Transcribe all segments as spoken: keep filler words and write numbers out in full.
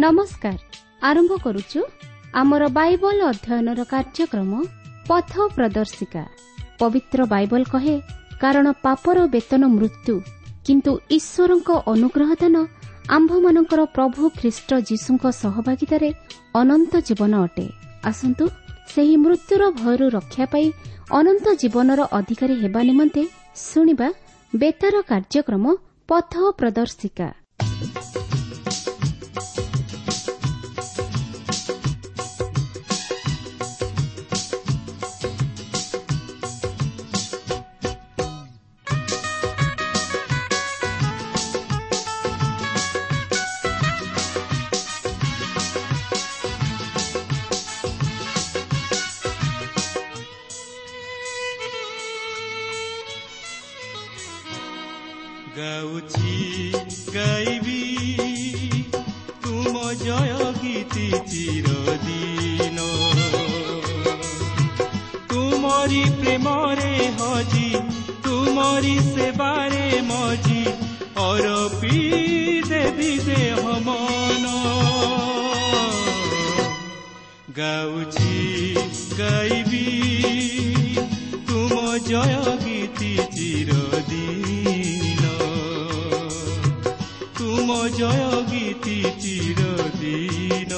ନମସ୍କାର। ଆରମ୍ଭ କରୁଛୁ ଆମର ବାଇବଲ ଅଧ୍ୟୟନର କାର୍ଯ୍ୟକ୍ରମ ପଥ ପ୍ରଦର୍ଶିକା। ପବିତ୍ର ବାଇବଲ କହେ, କାରଣ ପାପର ବେତନ ମୃତ୍ୟୁ, କିନ୍ତୁ ଈଶ୍ୱରଙ୍କ ଅନୁଗ୍ରହ ଦାନ ଆମ୍ଭମାନଙ୍କର ପ୍ରଭୁ ଖ୍ରୀଷ୍ଟ ଯୀଶୁଙ୍କ ସହଭାଗିତାରେ ଅନନ୍ତ ଜୀବନ ଅଟେ। ଆସନ୍ତୁ ସେହି ମୃତ୍ୟୁର ଭୟରୁ ରକ୍ଷା ପାଇ ଅନନ୍ତ ଜୀବନର ଅଧିକାରୀ ହେବା ନିମନ୍ତେ ଶୁଣିବା ବେତାର କାର୍ଯ୍ୟକ୍ରମ ପଥ ପ୍ରଦର୍ଶିକା। ଗାଉଛି ଗାଇବି ତୁମ ଜୟ ଗୀତି ଚିରଦିନ, ତୁମରି ପ୍ରେମରେ ହଜି ତୁମରି ସେବାରେ ମଜି ଅରପି ଦେବି ଦେହ ମନ। ଗାଉଛି ଗାଇବି ତୁମ ଜୟ ଗୀତି ଚିରଦିନ, ତୁମ ଜୟ ଗୀତି ଚିରଦିନ।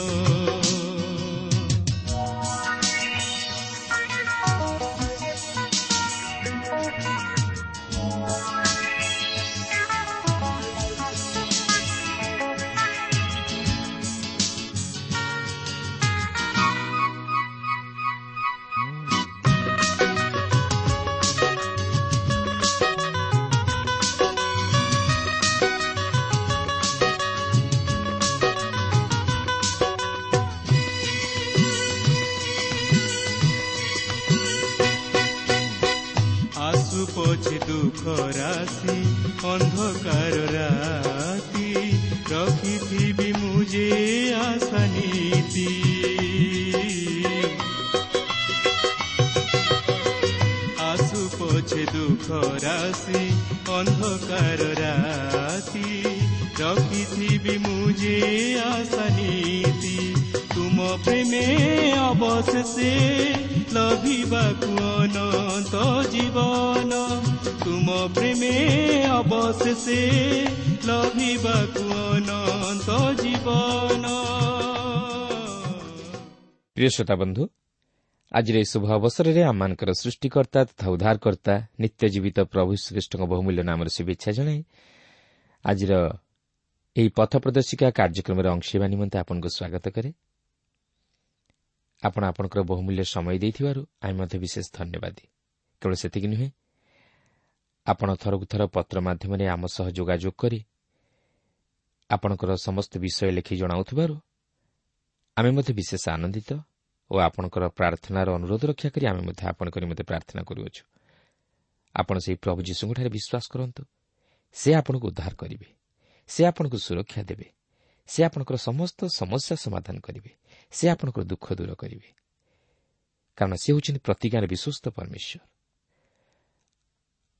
ଆସୁ ପଛେ ଦୁଃଖ ରାଶି ଅନ୍ଧକାର ରାତି, ରଖିଥିବି ମୁଁ ଯେ ଆଶା ନୀତି। ଆସୁ ପଛେ ଦୁଃଖ ରାଶି ଅନ୍ଧକାର ରାତି, ରଖିଥିବି ମୁଁ ଯେ ଆଶା ନୀତି। ତୁମ ପ୍ରେମେ ଅବଶେଷେ ଲଭିବାକୁ ଅନନ୍ତ ଜୀବନ, ତୁମ ପ୍ରେମେ ଅବଶେଷେ ଲଭିବାକୁ ଅନନ୍ତ ଜୀବନ। ପ୍ରିୟ ଶ୍ରୋତା ବନ୍ଧୁ, ଆଜିର ଏହି ଶୁଭ ଅବସରରେ ଆମମାନଙ୍କର ସୃଷ୍ଟିକର୍ତ୍ତା ତଥା ଉଦ୍ଧାରକର୍ତ୍ତା ନିତ୍ୟ ଜୀବିତ ପ୍ରଭୁ ଶ୍ରୀଖ୍ରୀଷ୍ଟଙ୍କ ବହୁମୂଲ୍ୟ ନାମରେ ଶୁଭେଚ୍ଛା ଜଣାଇ ଆଜିର ଏହି ପଥ ପ୍ରଦର୍ଶିକା କାର୍ଯ୍ୟକ୍ରମରେ ଅଂଶ ହେବା ନିମନ୍ତେ ଆପଣଙ୍କୁ ସ୍ୱାଗତ କରେ। ଆପଣ ଆପଣଙ୍କର ବହୁମୂଲ୍ୟ ସମୟ ଦେଇଥିବାରୁ ଆମେ ମଧ୍ୟ ବିଶେଷ ଧନ୍ୟବାଦୀ। କେବଳ ସେତିକି ନୁହେଁ, ଆପଣ ଥରକୁ ଥର ପତ୍ର ମାଧ୍ୟମରେ ଆମ ସହ ଯୋଗାଯୋଗ କରି ଆପଣଙ୍କର ସମସ୍ତ ବିଷୟ ଲେଖି ଜଣାଉଥିବାରୁ ଆମେ ମଧ୍ୟ ବିଶେଷ ଆନନ୍ଦିତ ଓ ଆପଣଙ୍କର ପ୍ରାର୍ଥନାର ଅନୁରୋଧ ରକ୍ଷା କରି ଆମେ ମଧ୍ୟ ଆପଣଙ୍କ ନିମନ୍ତେ ପ୍ରାର୍ଥନା କରୁଅଛୁ। ଆପଣ ସେହି ପ୍ରଭୁ ଯୀଶୁଙ୍କଠାରେ ବିଶ୍ୱାସ କରନ୍ତୁ, ସେ ଆପଣଙ୍କୁ ଉଦ୍ଧାର କରିବେ, ସେ ଆପଣଙ୍କୁ ସୁରକ୍ଷା ଦେବେ, ସେ ଆପଣଙ୍କର ସମସ୍ତ ସମସ୍ୟା ସମାଧାନ କରିବେ, ସେ ଆପଣଙ୍କର ଦୁଃଖ ଦୂର କରିବେ। କାରଣ ସେ ହେଉଛନ୍ତି ପ୍ରତିଜ୍ଞାର ବିଶ୍ୱସ୍ତ ପରମେଶ୍ୱର।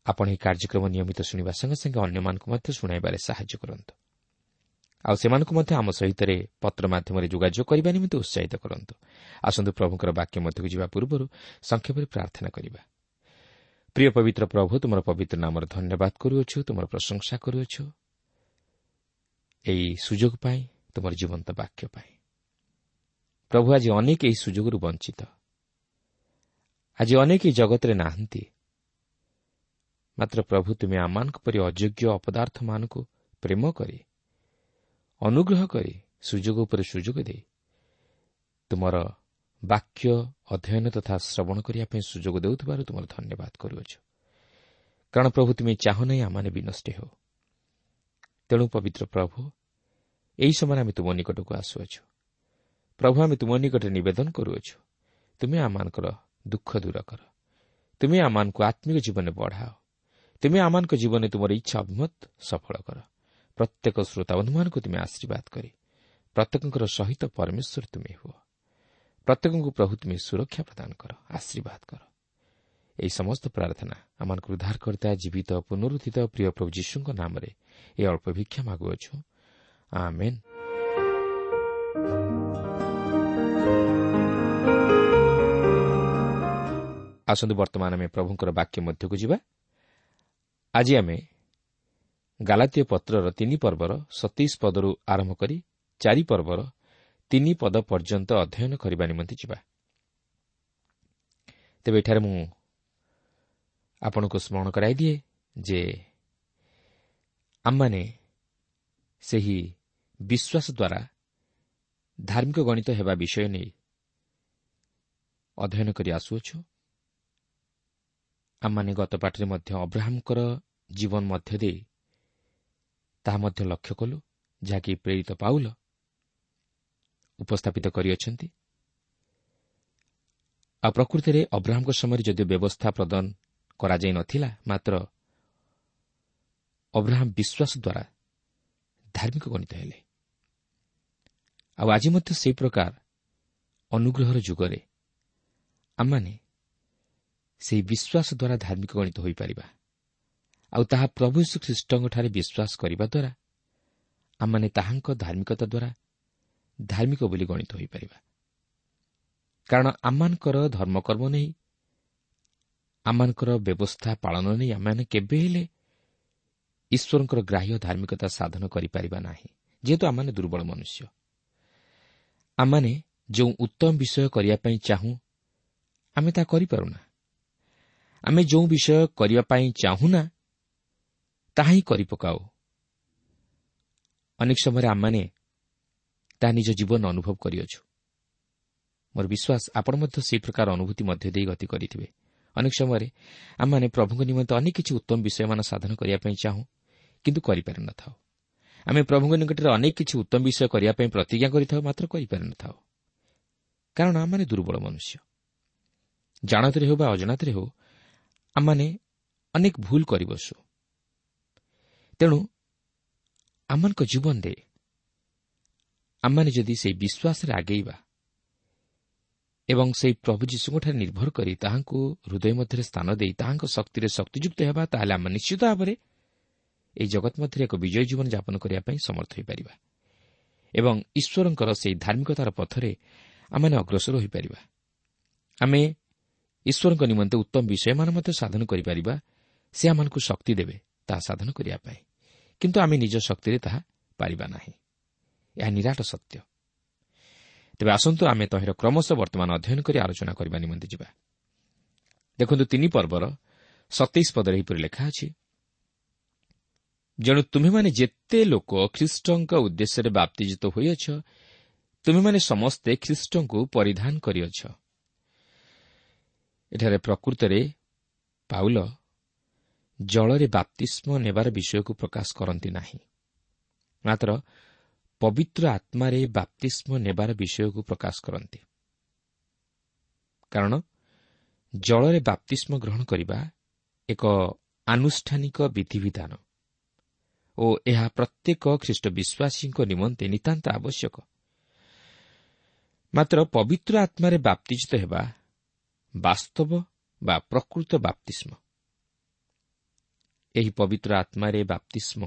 ଆପଣ ଏହି କାର୍ଯ୍ୟକ୍ରମ ନିୟମିତ ଶୁଣିବା ସଙ୍ଗେ ସଙ୍ଗେ ଅନ୍ୟମାନଙ୍କୁ ମଧ୍ୟ ଶୁଣାଇବାରେ ସାହାଯ୍ୟ କରନ୍ତୁ, ଆଉ ସେମାନଙ୍କୁ ମଧ୍ୟ ଆମ ସହିତ ପତ୍ର ମାଧ୍ୟମରେ ଯୋଗାଯୋଗ କରିବା ନିମନ୍ତେ ଉତ୍ସାହିତ କରନ୍ତୁ। ଆସନ୍ତୁ ପ୍ରଭୁଙ୍କର ବାକ୍ୟ ମଧ୍ୟକୁ ଯିବା ପୂର୍ବରୁ ସଂକ୍ଷେପରେ ପ୍ରାର୍ଥନା କରିବା। ପ୍ରିୟ ପବିତ୍ର ପ୍ରଭୁ, ତୁମର ପବିତ୍ର ନାମର ଧନ୍ୟବାଦ କରୁଅଛୁ, ତୁମର ପ୍ରଶଂସା କରୁଅଛୁ ଏହି ସୁଯୋଗ ପାଇଁ, ତୁମର ଜୀବନ୍ତ ବାକ୍ୟ ପାଇଁ। ପ୍ରଭୁ, ଆଜି ଅନେକ ଏହି ସୁଯୋଗରୁ ବଞ୍ଚିତ, ଆଜି ଅନେକ ଏହି ଜଗତରେ ନାହାନ୍ତି। ମାତ୍ର ପ୍ରଭୁ, ତୁମେ ଆମମାନଙ୍କ ପରି ଅଯୋଗ୍ୟ ଅପଦାର୍ଥମାନଙ୍କୁ ପ୍ରେମ କରି, ଅନୁଗ୍ରହ କରି, ସୁଯୋଗ ଉପରେ ସୁଯୋଗ ଦେଇ ତୁମର ବାକ୍ୟ ଅଧ୍ୟୟନ ତଥା ଶ୍ରବଣ କରିବା ପାଇଁ ସୁଯୋଗ ଦେଉଥିବାରୁ ତୁମର ଧନ୍ୟବାଦ କରୁଅଛୁ। କାରଣ ପ୍ରଭୁ, ତୁମେ ଚାହୁଁ ନାହିଁ ଆମମାନେ ବିନଷ୍ଟ ହେଉ। ତେଣୁ ପବିତ୍ର ପ୍ରଭୁ, ଏହି ସମୟରେ ଆମେ ତୁମ ନିକଟକୁ ଆସୁଅଛୁ। ପ୍ରଭୁ, ଆମେ ତୁମ ନିକଟରେ ନିବେଦନ କରୁଅଛୁ, ତୁମେ ଆମମାନଙ୍କର ଦୁଃଖ ଦୂର କର, ତୁମେ ଆମମାନଙ୍କୁ ଆତ୍ମିକ ଜୀବନରେ ବଢ଼ାଅ, ତୁମେ ଆମମାନଙ୍କ ଜୀବନରେ ତୁମର ଇଚ୍ଛା ଅଭିମତ ସଫଳ କର। ପ୍ରତ୍ୟେକ ଶ୍ରୋତାବନ୍ଧୁମାନଙ୍କୁ ତୁମେ ଆଶୀର୍ବାଦ କରି ପ୍ରତ୍ୟେକଙ୍କର ସହିତ ପରମେଶ୍ୱର ତୁମେ ହୁଅ। ପ୍ରତ୍ୟେକଙ୍କୁ ପ୍ରଭୁ ତୁମେ ସୁରକ୍ଷା ପ୍ରଦାନ କର, ଆଶୀର୍ବାଦ କର। ଏହି ସମସ୍ତ ପ୍ରାର୍ଥନା ଆମମାନଙ୍କୁ ଉଦ୍ଧାରକର୍ତ୍ତା ଜୀବିତ ପୁନରୁତ୍ଥିତ ପ୍ରିୟ ପ୍ରଭୁ ଯୀଶୁଙ୍କ ନାମରେ ଏ ଅଳ୍ପ ଭିକ୍ଷା ମାଗୁଅଛୁ, ଆମେନ୍। ଆସନ୍ତୁ ବର୍ତ୍ତମାନ ଆମେ ପ୍ରଭୁଙ୍କର ବାକ୍ୟ ମଧ୍ୟକୁ ଯିବା। ଆଜି ଆମେ ଗାଲାତୀୟ ପତ୍ରର ତିନି ପର୍ବର ସତେଇଶ ପଦରୁ ଆରମ୍ଭ କରି ଚାରି ପର୍ବର ତିନି ପଦ ପର୍ଯ୍ୟନ୍ତ ଅଧ୍ୟୟନ କରିବା ନିମନ୍ତେ ଯିବା। ତେବେ ଏଠାରେ ମୁଁ ଆପଣଙ୍କୁ ସ୍ମରଣ କରାଇଦିଏ ଯେ ଆମମାନେ ସେହି ବିଶ୍ୱାସ ଦ୍ୱାରା ଧାର୍ମିକ ଗଣିତ ହେବା ବିଷୟ ନେଇ ଅଧ୍ୟୟନ କରି ଆସୁଅଛୁ। ଆମମାନେ ଗତ ପାଠରେ ମଧ୍ୟ ଅବ୍ରାହମଙ୍କର ଜୀବନ ମଧ୍ୟ ଦେଇ ତାହା ମଧ୍ୟ ଲକ୍ଷ୍ୟ କଲୁ, ଯାହାକି ପ୍ରେରିତ ପାଉଲ ଉପସ୍ଥାପିତ କରିଅଛନ୍ତି। ଆଉ ପ୍ରକୃତିରେ ଅବ୍ରାହମଙ୍କ ସମୟରେ ଯଦିଓ ବ୍ୟବସ୍ଥା ପ୍ରଦାନ କରାଯାଇ ନଥିଲା, ମାତ୍ର ଅବ୍ରାହମ ବିଶ୍ୱାସ ଦ୍ୱାରା ଧାର୍ମିକ ଗଣିତ ହେଲେ। ଆଉ ଆଜି ମଧ୍ୟ ସେହି ପ୍ରକାର ଅନୁଗ୍ରହର ଯୁଗରେ ଆମମାନେ ସେହି ବିଶ୍ୱାସ ଦ୍ୱାରା ଧାର୍ମିକ ଗଣିତ ହୋଇପାରିବା। ଆଉ ତାହା ପ୍ରଭୁ ଯୀଶୁ ଖ୍ରୀଷ୍ଟଙ୍କଠାରେ ବିଶ୍ୱାସ କରିବା ଦ୍ୱାରା ଆମମାନେ ତାହାଙ୍କ ଧାର୍ମିକତା ଦ୍ୱାରା ଧାର୍ମିକ ବୋଲି ଗଣିତ ହୋଇପାରିବା। କାରଣ ଆମମାନଙ୍କର ଧର୍ମକର୍ମ ନେଇ, ଆମମାନଙ୍କର ବ୍ୟବସ୍ଥା ପାଳନ ନେଇ ଆମମାନେ କେବେ ହେଲେ ଈଶ୍ୱରଙ୍କର ଗ୍ରାହ୍ୟ ଧାର୍ମିକତା ସାଧନ କରିପାରିବା ନାହିଁ, ଯେହେତୁ ଆମମାନେ ଦୁର୍ବଳ ମନୁଷ୍ୟ। ଆମମାନେ ଯେଉଁ ଉତ୍ତମ ବିଷୟ କରିବା ପାଇଁ ଚାହୁଁ ଆମେ ତାହା କରିପାରୁନା। ଆମେ ଯେଉଁ ବିଷୟ କରିବା ପାଇଁ ଚାହୁଁନା ତାହା ହିଁ କରିପକାଉ। ଅନେକ ସମୟରେ ଆମମାନେ ତାହା ନିଜ ଜୀବନ ଅନୁଭବ କରିଅଛୁ। ମୋର ବିଶ୍ୱାସ ଆପଣ ମଧ୍ୟ ସେହି ପ୍ରକାର ଅନୁଭୂତି ମଧ୍ୟ ଦେଇ ଗତି କରିଥିବେ। ଅନେକ ସମୟରେ ଆମମାନେ ପ୍ରଭୁଙ୍କ ନିମନ୍ତେ ଅନେକ କିଛି ଉତ୍ତମ ବିଷୟମାନ ସାଧନ କରିବା ପାଇଁ ଚାହୁଁ, କିନ୍ତୁ କରିପାରିନଥାଉ। ଆମେ ପ୍ରଭୁଙ୍କ ନିକଟରେ ଅନେକ କିଛି ଉତ୍ତମ ବିଷୟ କରିବା ପାଇଁ ପ୍ରତିଜ୍ଞା କରିଥାଉ, ମାତ୍ର କରିପାରିନଥାଉ, କାରଣ ଆମମାନେ ଦୁର୍ବଳ ମନୁଷ୍ୟ। ଜାଣତରେ ହେଉ ବା ଅଜାଣତରେ ହେଉ ଆମମାନେ ଅନେକ ଭୁଲ କରିବସୁ। ତେଣୁ ଆମମାନଙ୍କ ଜୀବନରେ ଆମମାନେ ଯଦି ସେହି ବିଶ୍ୱାସରେ ଆଗେଇବା ଏବଂ ସେହି ପ୍ରଭୁ ଯୀଶୁଙ୍କଠାରେ ନିର୍ଭର କରି ତାହାଙ୍କୁ ହୃଦୟ ମଧ୍ୟରେ ସ୍ଥାନ ଦେଇ ତାହାଙ୍କ ଶକ୍ତିରେ ଶକ୍ତିଯୁକ୍ତ ହେବା, ତାହେଲେ ଆମେ ନିଶ୍ଚିତ ଭାବରେ ଏହି ଜଗତ ମଧ୍ୟରେ ଏକ ବିଜୟ ଜୀବନ ଯାପନ କରିବା ପାଇଁ ସମର୍ଥ ହୋଇପାରିବା ଏବଂ ଈଶ୍ୱରଙ୍କର ସେହି ଧାର୍ମିକତାର ପଥରେ ଆମମାନେ ଅଗ୍ରସର ହୋଇପାରିବା। ଆମେ ଈଶ୍ୱରଙ୍କ ନିମନ୍ତେ ଉତ୍ତମ ବିଷୟମାନ ମଧ୍ୟ ସାଧନ କରିପାରିବା। ସେ ଆମମାନଙ୍କୁ ଶକ୍ତି ଦେବେ ତାହା ସାଧନ କରିବା ପାଇଁ, କିନ୍ତୁ ଆମେ ନିଜ ଶକ୍ତିରେ ତାହା ପାରିବା ନାହିଁ। ଏହା ନିରାଟ ସତ୍ୟ। ତେବେ ଆସନ୍ତୁ ଆମେ ତହିଁର କ୍ରମଶଃ ବର୍ତ୍ତମାନ ଅଧ୍ୟୟନ କରି ଆଲୋଚନା କରିବା ନିମନ୍ତେ ଯିବା। ଦେଖନ୍ତୁ, ତିନି ପର୍ବର ସତେଇଶ ପଦରେ ଏହିପରି ଲେଖା ଅଛି, ଯେଣୁ ତୁମ୍ଭେମାନେ ଯେତେ ଲୋକ ଖ୍ରୀଷ୍ଟଙ୍କ ଉଦ୍ଦେଶ୍ୟରେ ବାପ୍ତିଜିତ ହୋଇଅଛ, ତୁମ୍ଭେମାନେ ସମସ୍ତେ ଖ୍ରୀଷ୍ଟଙ୍କୁ ପରିଧାନ କରିଅଛ। ଏଠାରେ ପ୍ରକୃତରେ ପାଉଲ ଜଳରେ ବାପ୍ତିସ୍ମ ନେବାର ବିଷୟକୁ ପ୍ରକାଶ କରନ୍ତି ନାହିଁ, ମାତ୍ର ପବିତ୍ର ଆତ୍ମାରେ ବାପ୍ତିସ୍ମ ନେବାର ବିଷୟକୁ ପ୍ରକାଶ କରନ୍ତି। କାରଣ ଜଳରେ ବାପ୍ତିସ୍ମ ଗ୍ରହଣ କରିବା ଏକ ଆନୁଷ୍ଠାନିକ ବିଧିବିଧାନ ଓ ଏହା ପ୍ରତ୍ୟେକ ଖ୍ରୀଷ୍ଟ ବିଶ୍ୱାସୀଙ୍କ ନିମନ୍ତେ ନିତାନ୍ତ ଆବଶ୍ୟକ। ମାତ୍ର ପବିତ୍ର ଆତ୍ମାରେ ବାପ୍ତିଜିତ ହେବା ବାସ୍ତବ ବା ପ୍ରକୃତ ବାପ୍ତିସ୍ମ। ଏହି ପବିତ୍ର ଆତ୍ମାରେ ବାପ୍ତିସ୍ମ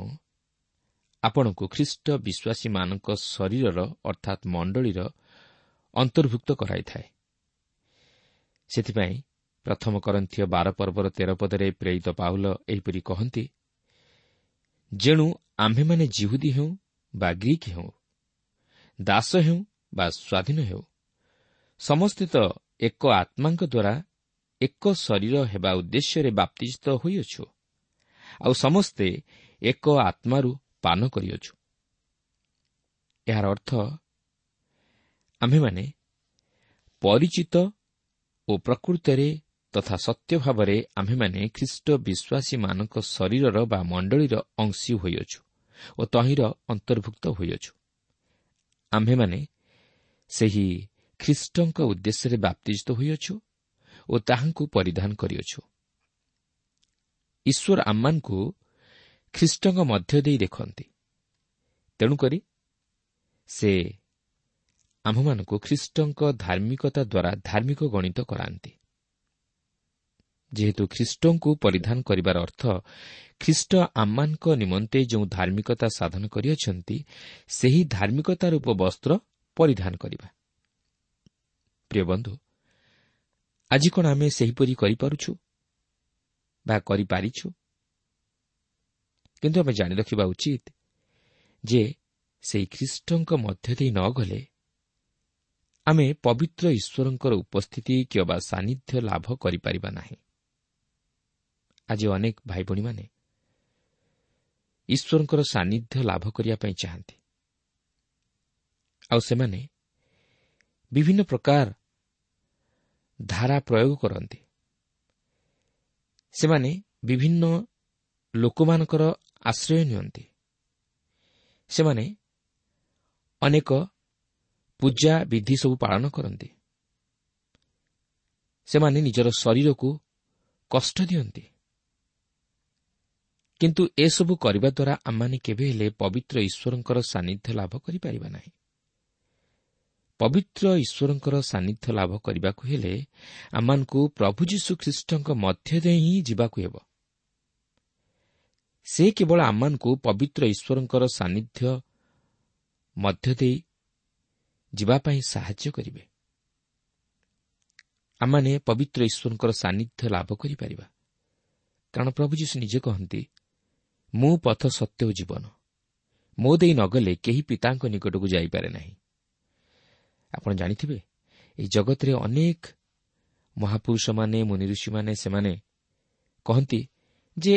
ଆପଣଙ୍କୁ ଖ୍ରୀଷ୍ଟ ବିଶ୍ୱାସୀମାନଙ୍କ ଶରୀରର ଅର୍ଥାତ୍ ମଣ୍ଡଳୀର ଅନ୍ତର୍ଭୁକ୍ତ କରାଇଥାଏ। ସେଥିପାଇଁ ପ୍ରଥମ କରନ୍ଥୀୟ ବାର ପର୍ବର ତେର ପଦରେ ପ୍ରେରିତ ପାଉଲ ଏହିପରି କହନ୍ତି, ଯେଣୁ ଆମ୍ଭେମାନେ ଯିହୁଦୀ ହେଉ ବା ଗ୍ରୀକ୍ ହେଉ, ଦାସ ହେଉ ବା ସ୍ୱାଧୀନ ହେଉ, ସମସ୍ତେ ତ ଏକ ଆତ୍ମାଙ୍କ ଦ୍ୱାରା ଏକ ଶରୀର ହେବା ଉଦ୍ଦେଶ୍ୟରେ ବାପ୍ତିଜିତ ହୋଇଅଛୁ, ଆଉ ସମସ୍ତେ ଏକ ଆତ୍ମାରୁ ପାନ କରିଅଛୁ। ଏହାର ଅର୍ଥ ଆମ୍ଭେମାନେ ପରିଚିତ ଓ ପ୍ରକୃତରେ ତଥା ସତ୍ୟ ଭାବରେ ଆମ୍ଭେମାନେ ଖ୍ରୀଷ୍ଟ ବିଶ୍ୱାସୀମାନଙ୍କ ଶରୀରର ବା ମଣ୍ଡଳୀର ଅଂଶୀ ହୋଇଅଛୁ ଓ ତହିଁର ଅନ୍ତର୍ଭୁକ୍ତ ହୋଇଅଛୁ। ଆମ୍ଭେମାନେ ସେହି ଖ୍ରୀଷ୍ଟଙ୍କ ଉଦ୍ଦେଶ୍ୟରେ ବାପ୍ତିଜିତ ହୋଇଅଛୁ ଓ ତାହାଙ୍କୁ ପରିଧାନ କରିଅଛୁ। ଈଶ୍ୱର ଆମମାନଙ୍କୁ ଖ୍ରୀଷ୍ଟଙ୍କ ମଧ୍ୟ ଦେଇ ଦେଖନ୍ତି, ତେଣୁକରି ସେ ଆମ୍ଭମାନଙ୍କୁ ଖ୍ରୀଷ୍ଟଙ୍କ ଧାର୍ମିକତା ଦ୍ୱାରା ଧାର୍ମିକ ଗଣିତ କରାନ୍ତି। ଯେହେତୁ ଖ୍ରୀଷ୍ଟଙ୍କୁ ପରିଧାନ କରିବାର ଅର୍ଥ ଖ୍ରୀଷ୍ଟ ଆମମାନଙ୍କ ନିମନ୍ତେ ଯେଉଁ ଧାର୍ମିକତା ସାଧନ କରିଅଛନ୍ତି, ସେହି ଧାର୍ମିକତା ରୂପ ବସ୍ତ୍ର ପରିଧାନ କରିବା। ପ୍ରିୟ ବନ୍ଧୁ, ଆଜି କ'ଣ ଆମେ ସେହିପରି କରିପାରୁଛୁ ବା କରିପାରିଛୁ? କିନ୍ତୁ ଆମେ ଜାଣି ରଖିବା ଉଚିତ ଯେ ସେହି ଖ୍ରୀଷ୍ଟଙ୍କ ମଧ୍ୟ ଦେଇ ନ ଗଲେ ଆମେ ପବିତ୍ର ଈଶ୍ୱରଙ୍କର ଉପସ୍ଥିତି କିମ୍ବା ସାନ୍ନିଧ୍ୟ ଲାଭ କରିପାରିବା ନାହିଁ। ଆଜି ଅନେକ ଭାଇ ଭଉଣୀମାନେ ଈଶ୍ୱରଙ୍କର ସାନ୍ନିଧ୍ୟ ଲାଭ କରିବା ପାଇଁ ଚାହାନ୍ତି, ଆଉ ସେମାନେ ବିଭିନ୍ନ ପ୍ରକାର ଧାରା ପ୍ରୟୋଗ କରନ୍ତି। ସେମାନେ ବିଭିନ୍ନ ଲୋକମାନଙ୍କର ଆଶ୍ରୟ ନିଅନ୍ତି। ସେମାନେ ଅନେକ ପୂଜା ବିଧି ସବୁ ପାଳନ କରନ୍ତି। ସେମାନେ ନିଜର ଶରୀରକୁ କଷ୍ଟ ଦିଅନ୍ତି। କିନ୍ତୁ ଏସବୁ କରିବା ଦ୍ୱାରା ଆମମାନେ କେବେ ହେଲେ ପବିତ୍ର ଈଶ୍ୱରଙ୍କର ସାନ୍ନିଧ୍ୟ ଲାଭ କରିପାରିବା ନାହିଁ। ପବିତ୍ର ଈଶ୍ୱରଙ୍କର ସାନ୍ନିଧ୍ୟ ଲାଭ କରିବାକୁ ହେଲେ ଆମମାନଙ୍କୁ ପ୍ରଭୁ ଯୀଶୁ ଖ୍ରୀଷ୍ଟଙ୍କ ମଧ୍ୟ ଦେଇ ହିଁ ଯିବାକୁ ହେବ। ସେ କେବଳ ଆମମାନଙ୍କୁ ପବିତ୍ର ଈଶ୍ୱରଙ୍କର ସାନ୍ନିଧ୍ୟ ମଧ୍ୟ ଦେଇ ଯିବା ପାଇଁ ସାହାଯ୍ୟ କରିବେ। ଆମମାନେ ପବିତ୍ର ଈଶ୍ୱରଙ୍କର ସାନ୍ନିଧ୍ୟ ଲାଭ କରିପାରିବା, କାରଣ ପ୍ରଭୁ ଯୀଶୁ ନିଜେ କହନ୍ତି, ମୁଁ ପଥ, ସତ୍ୟ ଓ ଜୀବନ, ମୋ ଦେଇ ନଗଲେ କେହି ପିତାଙ୍କ ନିକଟକୁ ଯାଇପାରେ ନାହିଁ। ଆପଣ ଜାଣିଥିବେ, ଏହି ଜଗତରେ ଅନେକ ମହାପୁରୁଷମାନେ, ମୁନିଋଷିମାନେ ସେମାନେ କହନ୍ତି ଯେ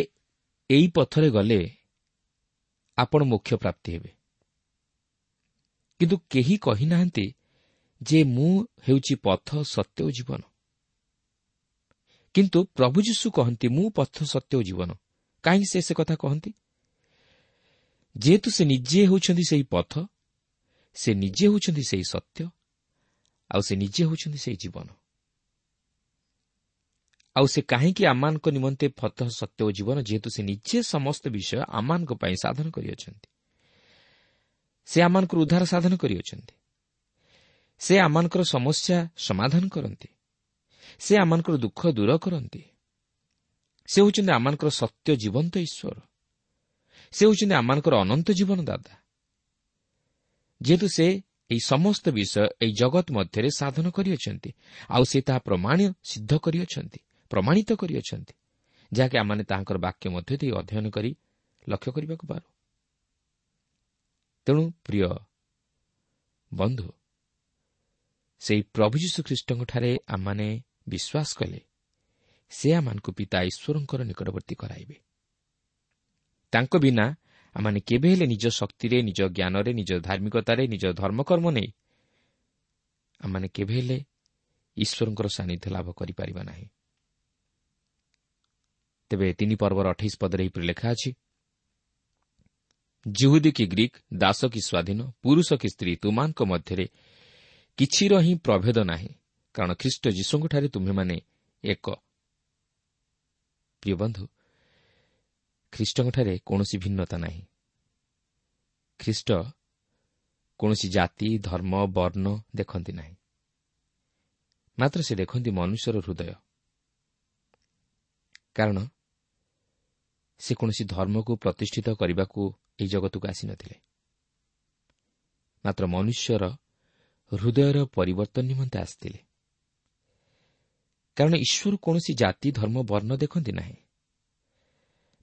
ଏହି ପଥରେ ଗଲେ ଆପଣ ମୋକ୍ଷ ପ୍ରାପ୍ତି ହେବେ। କିନ୍ତୁ କେହି କହିନାହାନ୍ତି ଯେ ମୁଁ ହେଉଛି ପଥ, ସତ୍ୟ ଓ ଜୀବନ। କିନ୍ତୁ ପ୍ରଭୁ ଯୀଶୁ କହନ୍ତି, ମୁଁ ପଥ, ସତ୍ୟ ଓ ଜୀବନ। କାହିଁକି ସେ ସେ କଥା କହନ୍ତି? ଯେହେତୁ ସେ ନିଜେ ହେଉଛନ୍ତି ସେହି ପଥ, ସେ ନିଜେ ହେଉଛନ୍ତି ସେହି ସତ୍ୟ, ଆଉ ସେ ନିଜେ ହେଉଛନ୍ତି ସେହି ଜୀବନ। ଆଉ ସେ କାହିଁକି ଆମମାନଙ୍କ ନିମନ୍ତେ ପଥ, ସତ୍ୟ ଓ ଜୀବନ? ଯେହେତୁ ସେ ନିଜେ ସମସ୍ତ ବିଷୟ ଆମମାନଙ୍କ ପାଇଁ ସାଧନ କରିଅଛନ୍ତି। ସେ ଆମମାନଙ୍କର ଉଦ୍ଧାର ସାଧନ କରିଅଛନ୍ତି। ସେ ଆମମାନଙ୍କର ସମସ୍ୟା ସମାଧାନ କରନ୍ତି। ସେ ଆମମାନଙ୍କର ଦୁଃଖ ଦୂର କରନ୍ତି। ସେ ହେଉଛନ୍ତି ଆମମାନଙ୍କର ସତ୍ୟ ଜୀବନ୍ତ ଈଶ୍ୱର। ସେ ହେଉଛନ୍ତି ଆମମାନଙ୍କର ଅନନ୍ତ ଜୀବନ ଦାତା। ଯେହେତୁ ସେ ଏହି ସମସ୍ତ ବିଷୟ ଏହି ଜଗତ ମଧ୍ୟରେ ସାଧନ କରିଅଛନ୍ତି, ଆଉ ସେ ତାହା ପ୍ରମାଣ ସିଦ୍ଧ କରିଅଛନ୍ତି, ପ୍ରମାଣିତ କରିଅଛନ୍ତି, ଯାହାକି ଆମମାନେ ତାହାଙ୍କର ବାକ୍ୟ ମଧ୍ୟ ଦେଇ ଅଧ୍ୟୟନ କରି ଲକ୍ଷ୍ୟ କରିବାକୁ ପାରୁ। ତେଣୁ ପ୍ରିୟ ବନ୍ଧୁ, ସେହି ପ୍ରଭୁ ଯୀଶୁଖ୍ରୀଷ୍ଟଙ୍କଠାରେ ଆମମାନେ ବିଶ୍ୱାସ କଲେ ସେ ଆମମାନଙ୍କୁ ପିତା ଈଶ୍ୱରଙ୍କର ନିକଟବର୍ତ୍ତୀ କରାଇବେ। ତାଙ୍କ ବିନା ଆମମାନେ କେବେ ହେଲେ ନିଜ ଶକ୍ତିରେ, ନିଜ ଜ୍ଞାନରେ, ନିଜ ଧାର୍ମିକତାରେ, ନିଜ ଧର୍ମକର୍ମ ନେଇ ଆମମାନେ କେବେ ହେଲେ ଈଶ୍ୱରଙ୍କର ସାନ୍ନିଧ୍ୟ ଲାଭ କରିପାରିବା ନାହିଁ। ତେବେ ତିନି ପର୍ବର ଅଠେଇଶ ପଦରେ ଏହିପରି ଲେଖା ଅଛି, ଯିହୁଦୀ କି ଗ୍ରୀକ୍, ଦାସ କି ସ୍ୱାଧୀନ, ପୁରୁଷ କି ସ୍ତ୍ରୀ, ତୁମାନଙ୍କ ମଧ୍ୟରେ କିଛିର ହିଁ ପ୍ରଭେଦ ନାହିଁ, କାରଣ ଖ୍ରୀଷ୍ଟ ଯୀଶୁଙ୍କଠାରେ ତୁମ୍ଭେମାନେ ଏକ। ପ୍ରିୟ ବନ୍ଧୁ, ଖ୍ରୀଷ୍ଟଙ୍କଠାରେ କୌଣସି ଭିନ୍ନତା ନାହିଁ। ଖ୍ରୀଷ୍ଟ କୌଣସି ଜାତି, ଧର୍ମ, ବର୍ଣ୍ଣ ଦେଖନ୍ତି ନାହିଁ, ମାତ୍ର ସେ ଦେଖନ୍ତି ମନୁଷ୍ୟର ହୃଦୟ। କାରଣ ସେ କୌଣସି ଧର୍ମକୁ ପ୍ରତିଷ୍ଠିତ କରିବାକୁ ଏହି ଜଗତକୁ ଆସିନଥିଲେ, ମାତ୍ର ମନୁଷ୍ୟର ହୃଦୟର ପରିବର୍ତ୍ତନ ନିମନ୍ତେ ଆସିଥିଲେ। କାରଣ ଈଶ୍ୱର କୌଣସି ଜାତି, ଧର୍ମ, ବର୍ଣ୍ଣ ଦେଖନ୍ତି ନାହିଁ,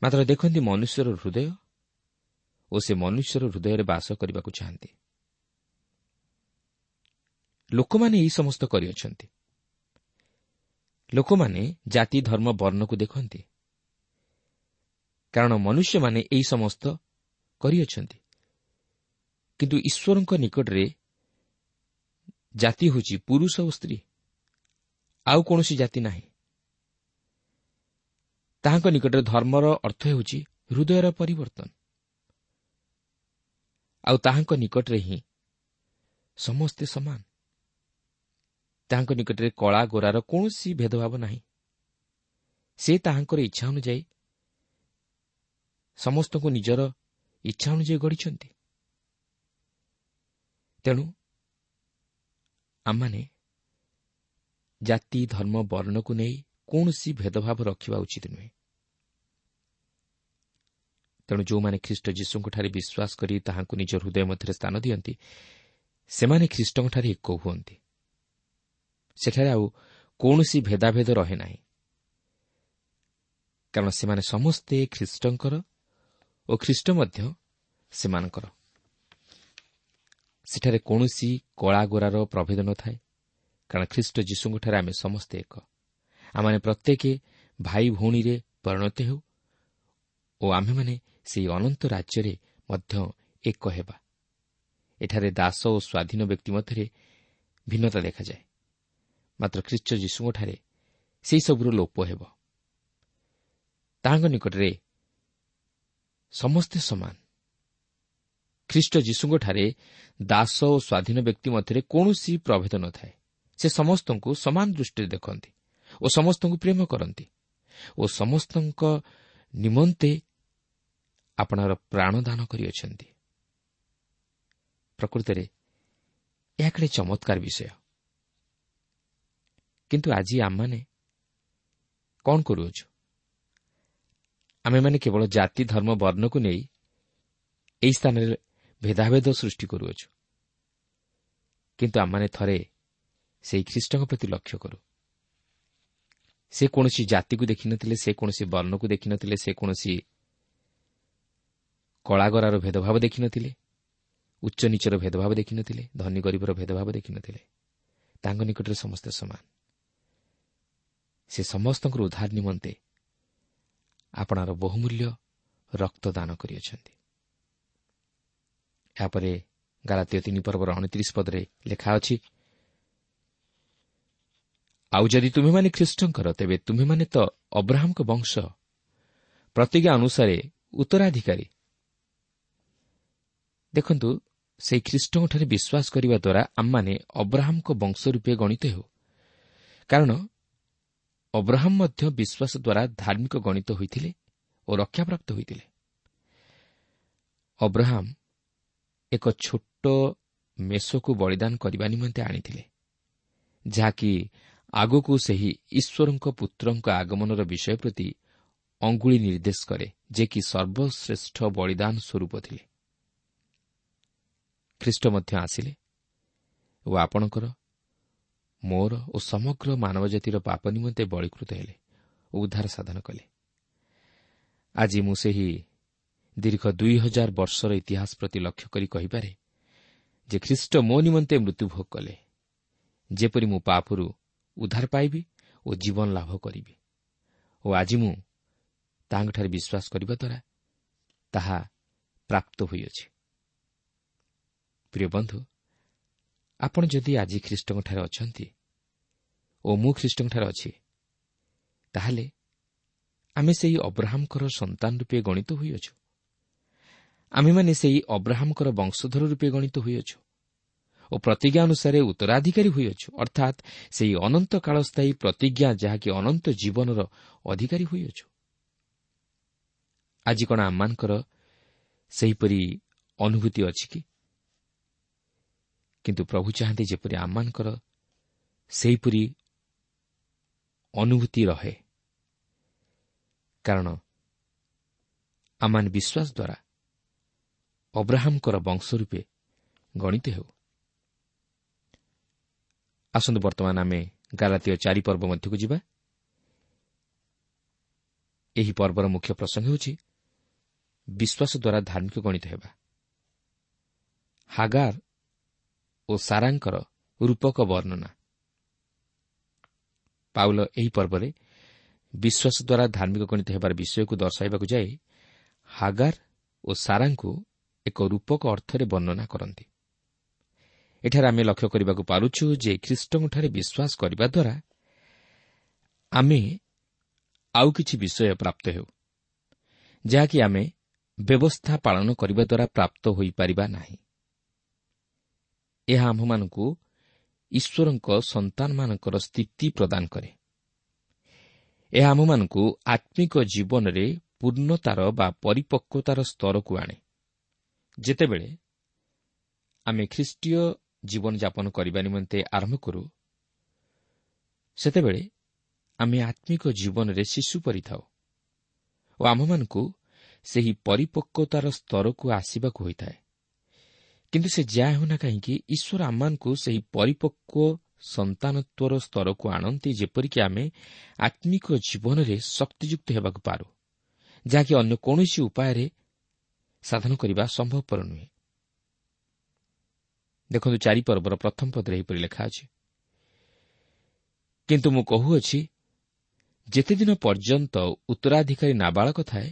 ମାତ୍ର ଦେଖନ୍ତି ମନୁଷ୍ୟର ହୃଦୟ ଓ ସେ ମନୁଷ୍ୟର ହୃଦୟରେ ବାସ କରିବାକୁ ଚାହାନ୍ତି। ଲୋକମାନେ ଏହି ସମସ୍ତ କରିଅଛନ୍ତି। ଲୋକମାନେ ଜାତି, ଧର୍ମ, ବର୍ଣ୍ଣକୁ ଦେଖନ୍ତି, କାରଣ ମନୁଷ୍ୟମାନେ ଏହି ସମସ୍ତ କରିଅଛନ୍ତି। କିନ୍ତୁ ଈଶ୍ୱରଙ୍କ ନିକଟରେ ଜାତି ହେଉଛି ପୁରୁଷ ଓ ସ୍ତ୍ରୀ, ଆଉ କୌଣସି ଜାତି ନାହିଁ। ତାହାଙ୍କ ନିକଟରେ ଧର୍ମର ଅର୍ଥ ହେଉଛି ହୃଦୟର ପରିବର୍ତ୍ତନ, ଆଉ ତାହାଙ୍କ ନିକଟରେ ହିଁ ସମସ୍ତେ ସମାନ। ତାହାଙ୍କ ନିକଟରେ କଳା ଗୋରାର କୌଣସି ଭେଦଭାବ ନାହିଁ। ସେ ତାହାଙ୍କର ଇଚ୍ଛା ଅନୁଯାୟୀ ସମସ୍ତଙ୍କୁ ନିଜର ଇଚ୍ଛା ଅନୁଯାୟୀ ଗଢ଼ିଛନ୍ତି। ତେଣୁ ଆମମାନେ ଜାତି, ଧର୍ମ, ବର୍ଣ୍ଣକୁ ନେଇ କୌଣସି ଭେଦଭାବ ରଖିବା ଉଚିତ ନୁହେଁ। ତେଣୁ ଯେଉଁମାନେ ଖ୍ରୀଷ୍ଟ ଯୀଶୁଙ୍କଠାରେ ବିଶ୍ୱାସ କରି ତାହାଙ୍କୁ ନିଜ ହୃଦୟ ମଧ୍ୟରେ ସ୍ଥାନ ଦିଅନ୍ତି, ସେମାନେ ଖ୍ରୀଷ୍ଟଙ୍କଠାରେ ଏକ ହୁଅନ୍ତି। ସେଠାରେ ଆଉ କୌଣସି ଭେଦାଭେଦ ରହେ ନାହିଁ, କାରଣ ସେମାନେ ସମସ୍ତେ ଖ୍ରୀଷ୍ଟଙ୍କର ଓ ଖ୍ରୀଷ୍ଟ ମଧ୍ୟ ସେମାନଙ୍କର। ସେଠାରେ କୌଣସି କଳାଗୋରାର ପ୍ରଭେଦ ନଥାଏ, କାରଣ ଖ୍ରୀଷ୍ଟ ଯୀଶୁଙ୍କଠାରେ ଆମେ ସମସ୍ତେ ଏକ। ଆମମାନେ ପ୍ରତ୍ୟେକ ଭାଇ ଭଉଣୀରେ ପରିଣତ ହେଉ ଓ ଆମ୍ଭେମାନେ ସେହି ଅନନ୍ତ ରାଜ୍ୟରେ ମଧ୍ୟ ଏକ ହେବା। ଏଠାରେ ଦାସ ଓ ସ୍ୱାଧୀନ ବ୍ୟକ୍ତି ମଧ୍ୟରେ ଭିନ୍ନତା ଦେଖାଯାଏ, ମାତ୍ର ଖ୍ରୀଷ୍ଟ ଯୀଶୁଙ୍କଠାରେ ସେହିସବୁର ଲୋପ ହେବ। ତାହାଙ୍କ ନିକଟରେ ସମସ୍ତେ ସମାନ। ଖ୍ରୀଷ୍ଟ ଯୀଶୁଙ୍କଠାରେ ଦାସ ଓ ସ୍ୱାଧୀନ ବ୍ୟକ୍ତି ମଧ୍ୟରେ କୌଣସି ପ୍ରଭେଦ ନଥାଏ। ସେ ସମସ୍ତଙ୍କୁ ସମାନ ଦୃଷ୍ଟିରେ ଦେଖନ୍ତି ଓ ସମସ୍ତଙ୍କୁ ପ୍ରେମ କରନ୍ତି ଓ ସମସ୍ତଙ୍କ ନିମନ୍ତେ ଆପଣାର ପ୍ରାଣଦାନ କରିଅଛନ୍ତି। ପ୍ରକୃତରେ ଏହା କେଡ଼େ ଚମତ୍କାର ବିଷୟ। କିନ୍ତୁ ଆଜି ଆମମାନେ କ'ଣ କରୁଅଛୁ? ଆମେମାନେ କେବଳ ଜାତି, ଧର୍ମ, ବର୍ଣ୍ଣକୁ ନେଇ ଏହି ସ୍ଥାନରେ ଭେଦାଭେଦ ସୃଷ୍ଟି କରୁଅଛୁ। କିନ୍ତୁ ଆମମାନେ ଥରେ ସେହି ଖ୍ରୀଷ୍ଟଙ୍କ ପ୍ରତି ଲକ୍ଷ୍ୟ କରୁ। ସେ କୌଣସି ଜାତିକୁ ଦେଖିନଥିଲେ, ସେ କୌଣସି ବର୍ଣ୍ଣକୁ ଦେଖିନଥିଲେ, ସେ କୌଣସି କଳାଗରାର ଭେଦଭାବ ଦେଖିନଥିଲେ, ଉଚ୍ଚ ନୀଚର ଭେଦଭାବ ଦେଖିନଥିଲେ, ଧନୀ ଗରିବର ଭେଦଭାବ ଦେଖିନଥିଲେ। ତାଙ୍କ ନିକଟରେ ସମସ୍ତେ ସମାନ। ସେ ସମସ୍ତଙ୍କର ଉଦ୍ଧାର ନିମନ୍ତେ ଆପଣାର ବହୁମୂଲ୍ୟ ରକ୍ତଦାନ କରିଅଛନ୍ତି। ଏହାପରେ ଗାଲାତୀୟ ତିନି ପର୍ବର ଅଣତିରିଶ ପଦରେ ଲେଖା ଅଛି, ଆଉ ଯଦି ତୁମେମାନେ ଖ୍ରୀଷ୍ଟଙ୍କର, ତେବେ ତୁମେମାନେ ତ ଅବ୍ରାହମଙ୍କ ବଂଶ, ପ୍ରତିଜ୍ଞା ଅନୁସାରେ ଉତ୍ତରାଧିକାରୀ। ଦେଖନ୍ତୁ, ସେହି ଖ୍ରୀଷ୍ଟଙ୍କଠାରେ ବିଶ୍ୱାସ କରିବା ଦ୍ୱାରା ଆମମାନେ ଅବ୍ରାହମଙ୍କ ବଂଶ ରୂପେ ଗଣିତ ହେଉ, କାରଣ ଅବ୍ରାହମ ମଧ୍ୟ ବିଶ୍ୱାସ ଦ୍ୱାରା ଧାର୍ମିକ ଗଣିତ ହୋଇଥିଲେ ଓ ରକ୍ଷାପ୍ରାପ୍ତ ହୋଇଥିଲେ। ଅବ୍ରାହମ ଏକ ଛୋଟ ମେଷକୁ ବଳିଦାନ କରିବା ନିମନ୍ତେ ଆଣିଥିଲେ, ଯାହାକି ଆଗକୁ ସେହି ଈଶ୍ୱରଙ୍କ ପୁତ୍ରଙ୍କ ଆଗମନର ବିଷୟ ପ୍ରତି ଅଙ୍ଗୁଳି ନିର୍ଦ୍ଦେଶ କରେ, ଯେ କି ସର୍ବଶ୍ରେଷ୍ଠ ବଳିଦାନ ସ୍ୱରୂପ ଥିଲେ। ଖ୍ରୀଷ୍ଟ ମଧ୍ୟ ଆସିଲେ ଓ ଆପଣଙ୍କର, ମୋର ଓ ସମଗ୍ର ମାନବ ଜାତିର ପାପ ନିମନ୍ତେ ବଳୀକୃତ ହେଲେ ଓ ଉଦ୍ଧାର ସାଧନ କଲେ। ଆଜି ମୁଁ ସେହି ଦୀର୍ଘ ଦୁଇ ହଜାର ବର୍ଷର ଇତିହାସ ପ୍ରତି ଲକ୍ଷ୍ୟ କରି କହିପାରେ ଯେ ଖ୍ରୀଷ୍ଟ ମୋ ନିମନ୍ତେ ମୃତ୍ୟୁଭୋଗ କଲେ, ଯେପରି ମୁଁ ପାପରୁ ଉଦ୍ଧାର ପାଇବି ଓ ଜୀବନ ଲାଭ କରିବି। ଓ ଆଜି ମୁଁ ତାହାଙ୍କଠାରେ ବିଶ୍ୱାସ କରିବା ଦ୍ୱାରା ତାହା ପ୍ରାପ୍ତ ହୋଇଅଛି। ପ୍ରିୟ ବନ୍ଧୁ, ଆପଣ ଯଦି ଆଜି ଖ୍ରୀଷ୍ଟଙ୍କଠାରେ ଅଛନ୍ତି ଓ ମୁଁ ଖ୍ରୀଷ୍ଟଙ୍କଠାରେ ଅଛି, ତାହେଲେ ଆମେ ସେହି ଅବ୍ରାହମଙ୍କର ସନ୍ତାନ ରୂପେ ଗଣିତ ହୋଇଅଛୁ। ଆମେମାନେ ସେହି ଅବ୍ରାହମଙ୍କର ବଂଶଧର ରୂପେ ଗଣିତ ହୋଇଅଛୁ ଓ ପ୍ରତିଜ୍ଞା ଅନୁସାରେ ଉତ୍ତରାଧିକାରୀ ହୋଇଅଛୁ, ଅର୍ଥାତ୍ ସେହି ଅନନ୍ତ କାଳସ୍ଥାୟୀ ପ୍ରତିଜ୍ଞା ଯାହାକି ଅନନ୍ତ ଜୀବନର ଅଧିକାରୀ ହୋଇଅଛୁ। ଆଜି କ'ଣ ଆମମାନଙ୍କର ସେହିପରି ଅନୁଭୂତି ଅଛି କି? କିନ୍ତୁ ପ୍ରଭୁ ଚାହାନ୍ତି ଯେପରି ଆମମାନଙ୍କର ସେହିପରି ଅନୁଭୂତି ରହେ, କାରଣ ଆମମାନେ ବିଶ୍ୱାସ ଦ୍ୱାରା ଅବ୍ରାହମଙ୍କର ବଂଶ ରୂପେ ଗଣିତ ହେଉ। ଆସନ୍ତୁ ବର୍ତ୍ତମାନ ଆମେ ଗାଲାତୀୟ ଚାରି ପର୍ବ ମଧ୍ୟକୁ ଯିବା। ଏହି ପର୍ବର ମୁଖ୍ୟ ପ୍ରସଙ୍ଗ ହେଉଛି ବିଶ୍ୱାସ ଦ୍ୱାରା ଧାର୍ମିକ ଗଣିତ ହେବା। ହାଗାର ଓ ସାରାଙ୍କର ରୂପକ ବର୍ଣ୍ଣନା। ପାଉଲ ଏହି ପର୍ବରେ ବିଶ୍ୱାସ ଦ୍ୱାରା ଧାର୍ମିକ ଗଣିତ ହେବାର ବିଷୟକୁ ଦର୍ଶାଇବାକୁ ଯାଇ ହାଗାର ଓ ସାରାଙ୍କୁ ଏକ ରୂପକ ଅର୍ଥରେ ବର୍ଣ୍ଣନା କରନ୍ତି। ଏଠାରେ ଆମେ ଲକ୍ଷ୍ୟ କରିବାକୁ ପାରୁଛୁ ଯେ ଖ୍ରୀଷ୍ଟଙ୍କଠାରେ ବିଶ୍ୱାସ କରିବା ଦ୍ୱାରା ଆମେ ଆଉ କିଛି ବିଷୟ ପ୍ରାପ୍ତ ହେଉ, ଯାହାକି ଆମେ ବ୍ୟବସ୍ଥା ପାଳନ କରିବା ଦ୍ୱାରା ପ୍ରାପ୍ତ ହୋଇପାରିବା ନାହିଁ। ଏହା ଆମ୍ଭମାନଙ୍କୁ ଈଶ୍ୱରଙ୍କ ସନ୍ତାନମାନଙ୍କର ସ୍ଥିତି ପ୍ରଦାନ କରେ। ଏହା ଆମ୍ଭମାନଙ୍କୁ ଆତ୍ମିକ ଜୀବନରେ ପୂର୍ଣ୍ଣତାର ବା ପରିପକ୍ୱତାର ସ୍ତରକୁ ଆଣେ। ଯେତେବେଳେ ଆମେ ଖ୍ରୀଷ୍ଟୀୟ ଜୀବନଯାପନ କରିବା ନିମନ୍ତେ ଆରମ୍ଭ କରୁ, ସେତେବେଳେ ଆମେ ଆତ୍ମିକ ଜୀବନରେ ଶିଶୁ ପରି ଥାଉ ଓ ଆମ୍ଭମାନଙ୍କୁ ସେହି ପରିପକ୍ୱତାର ସ୍ତରକୁ ଆସିବାକୁ ହୋଇଥାଏ। କିନ୍ତୁ ସେ ଯାହା ହେଉନା କାହିଁକି, ଈଶ୍ୱର ଆମମାନଙ୍କୁ ସେହି ପରିପକ୍ୱ ସନ୍ତାନତ୍ୱର ସ୍ତରକୁ ଆଣନ୍ତି, ଯେପରିକି ଆମେ ଆତ୍ମିକ ଜୀବନରେ ଶକ୍ତିଯୁକ୍ତ ହେବାକୁ ପାରୁ, ଯାହାକି ଅନ୍ୟ କୌଣସି ଉପାୟରେ ସାଧନ କରିବା ସମ୍ଭବପର ନୁହେଁ। ଦେଖନ୍ତୁ, ଚାରି ପର୍ବର ପ୍ରଥମ ପଦରେ ଏହିପରି ଲେଖା ଅଛି, କିନ୍ତୁ ମୁଁ କହୁଅଛି, ଯେତେଦିନ ପର୍ଯ୍ୟନ୍ତ ଉତ୍ତରାଧିକାରୀ ନାବାଳକ ଥାଏ,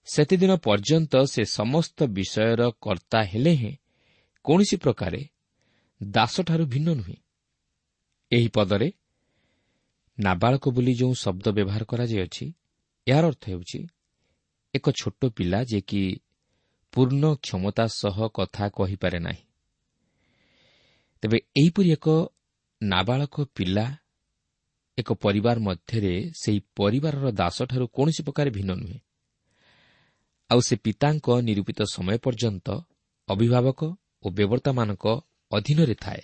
ସେତେଦିନ ପର୍ଯ୍ୟନ୍ତ ସେ ସମସ୍ତ ବିଷୟର କର୍ତ୍ତା ହେଲେ ହେଁ କୌଣସି ପ୍ରକାରେ ଦାସଠାରୁ ଭିନ୍ନ ନୁହେଁ। ଏହି ପଦରେ ନାବାଳକ ବୋଲି ଯେଉଁ ଶବ୍ଦ ବ୍ୟବହାର କରାଯାଇଅଛି, ଏହାର ଅର୍ଥ ହେଉଛି ଏକ ଛୋଟ ପିଲା ଯିଏକି ପୂର୍ଣ୍ଣ କ୍ଷମତା ସହ କଥା କହିପାରେ ନାହିଁ। ତେବେ ଏହିପରି ଏକ ନାବାଳକ ପିଲା ଏକ ପରିବାର ମଧ୍ୟରେ ସେହି ପରିବାରର ଦାସଠାରୁ କୌଣସି ପ୍ରକାର ଭିନ୍ନ ନୁହେଁ, ଆଉ ସେ ପିତାଙ୍କ ନିରୂପିତ ସମୟ ପର୍ଯ୍ୟନ୍ତ ଅଭିଭାବକ ଓ ବ୍ୟବର୍ତ୍ତାମାନଙ୍କ ଅଧୀନରେ ଥାଏ।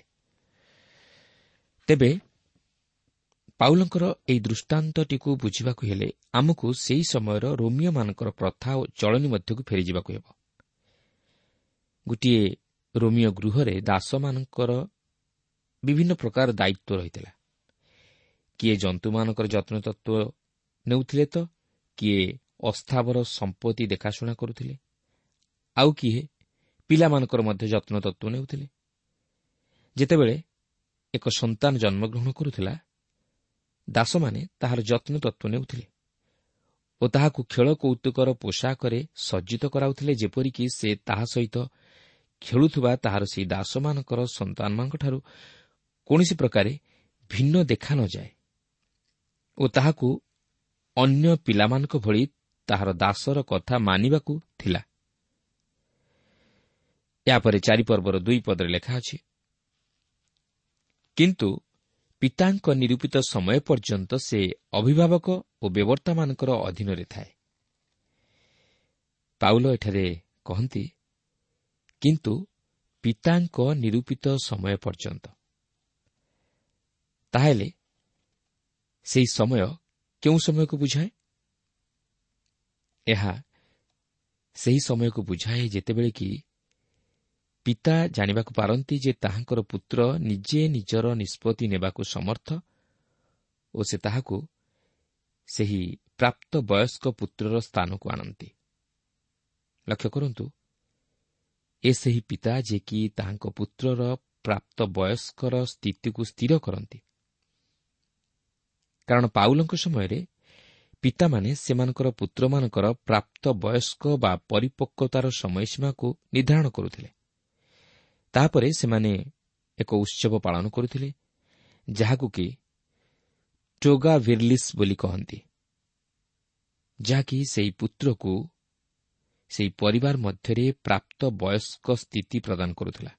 ତେବେ ପାଉଲଙ୍କର ଏହି ଦୃଷ୍ଟାନ୍ତଟିକୁ ବୁଝିବାକୁ ହେଲେ ଆମକୁ ସେହି ସମୟର ରୋମିଓମାନଙ୍କର ପ୍ରଥା ଓ ଚଳନୀ ମଧ୍ୟକୁ ଫେରିଯିବାକୁ ହେବ। ଗୋଟିଏ ରୋମିଓ ଗୃହରେ ଦାସମାନଙ୍କର ବିଭିନ୍ନ ପ୍ରକାର ଦାୟିତ୍ୱ ରହିଥିଲା। କିଏ ଜନ୍ତୁମାନଙ୍କର ଯତ୍ନତତ୍ତ୍ୱ ନେଉଥିଲେ ତ କିଏ ଅସ୍ଥାବର ସମ୍ପତ୍ତି ଦେଖାଶୁଣା କରୁଥିଲେ, ଆଉ କିଏ ପିଲାମାନଙ୍କର ମଧ୍ୟ ଯତ୍ନତତ୍ତ୍ୱ ନେଉଥିଲେ। ଯେତେବେଳେ ଏକ ସନ୍ତାନ ଜନ୍ମଗ୍ରହଣ କରୁଥିଲା, ଦାସମାନେ ତାହାର ଯତ୍ନତତ୍ତ୍ୱ ନେଉଥିଲେ ଓ ତାହାକୁ ଖେଳ କୌତୁକର ପୋଷାକରେ ସଜ୍ଜିତ କରାଉଥିଲେ, ଯେପରିକି ସେ ତାହା ସହିତ ଖେଳୁଥିବା ତାହାର ସେହି ଦାସମାନଙ୍କର ସନ୍ତାନମାନଙ୍କଠାରୁ କୌଣସି ପ୍ରକାରେ ଭିନ୍ନ ଦେଖା ନଯାଏ ଓ ତାହାକୁ ଅନ୍ୟ ପିଲାମାନଙ୍କ ଭଳି ତାହାର ଦାସର କଥା ମାନିବାକୁ ଥିଲା। ଏହାପରେ ଚାରିପର୍ବର ଦୁଇ ପଦରେ ଲେଖା ଅଛି, କିନ୍ତୁ ପିତାଙ୍କ ନିରୂପିତ ସମୟ ପର୍ଯ୍ୟନ୍ତ ସେ ଅଭିଭାବକ ଓ ବ୍ୟବର୍ତ୍ତାମାନଙ୍କର ଅଧୀନରେ ଥାଏ। ପାଉଲ ଏଠାରେ କହନ୍ତି, କିନ୍ତୁ ପିତାଙ୍କ ନିରୂପିତ ସମୟ ପର୍ଯ୍ୟନ୍ତ। ତାହେଲେ ସେହି ସମୟ କେଉଁ ସମୟକୁ ବୁଝାଏ? ଏହା ସେହି ସମୟକୁ ବୁଝାଏ ଯେତେବେଳେ କି ପିତା ଜାଣିବାକୁ ପାରନ୍ତି ଯେ ତାହାଙ୍କର ପୁତ୍ର ନିଜେ ନିଜର ନିଷ୍ପତ୍ତି ନେବାକୁ ସମର୍ଥ ଓ ସେ ତାହାକୁ ସେହି ପ୍ରାପ୍ତ ବୟସ୍କ ପୁତ୍ରର ସ୍ଥାନକୁ ଆଣନ୍ତି। ଲକ୍ଷ୍ୟ କରନ୍ତୁ, ଏ ସେହି ପିତା ଯିଏକି ତାହାଙ୍କ ପୁତ୍ରର ପ୍ରାପ୍ତ ବୟସ୍କର ସ୍ଥିତିକୁ ସ୍ଥିର କରନ୍ତି। କାରଣ ପାଉଲଙ୍କ ସମୟରେ ପିତାମାନେ ସେମାନଙ୍କର ପୁତ୍ରମାନଙ୍କର ପ୍ରାପ୍ତ ବୟସ୍କ ବା ପରିପକ୍ୱତାର ସମୟସୀମାକୁ ନିର୍ଦ୍ଧାରଣ କରୁଥିଲେ। ତାପରେ ସେମାନେ ଏକ ଉତ୍ସବ ପାଳନ କରୁଥିଲେ, ଯାହାକୁ କି ଟୋଗା ଭିର୍ଲିସ୍ ବୋଲି କହନ୍ତି, ଯାହାକି ସେହି ପୁତ୍ରକୁ ସେହି ପରିବାର ମଧ୍ୟରେ ପ୍ରାପ୍ତ ବୟସ୍କ ସ୍ଥିତି ପ୍ରଦାନ କରୁଥିଲା।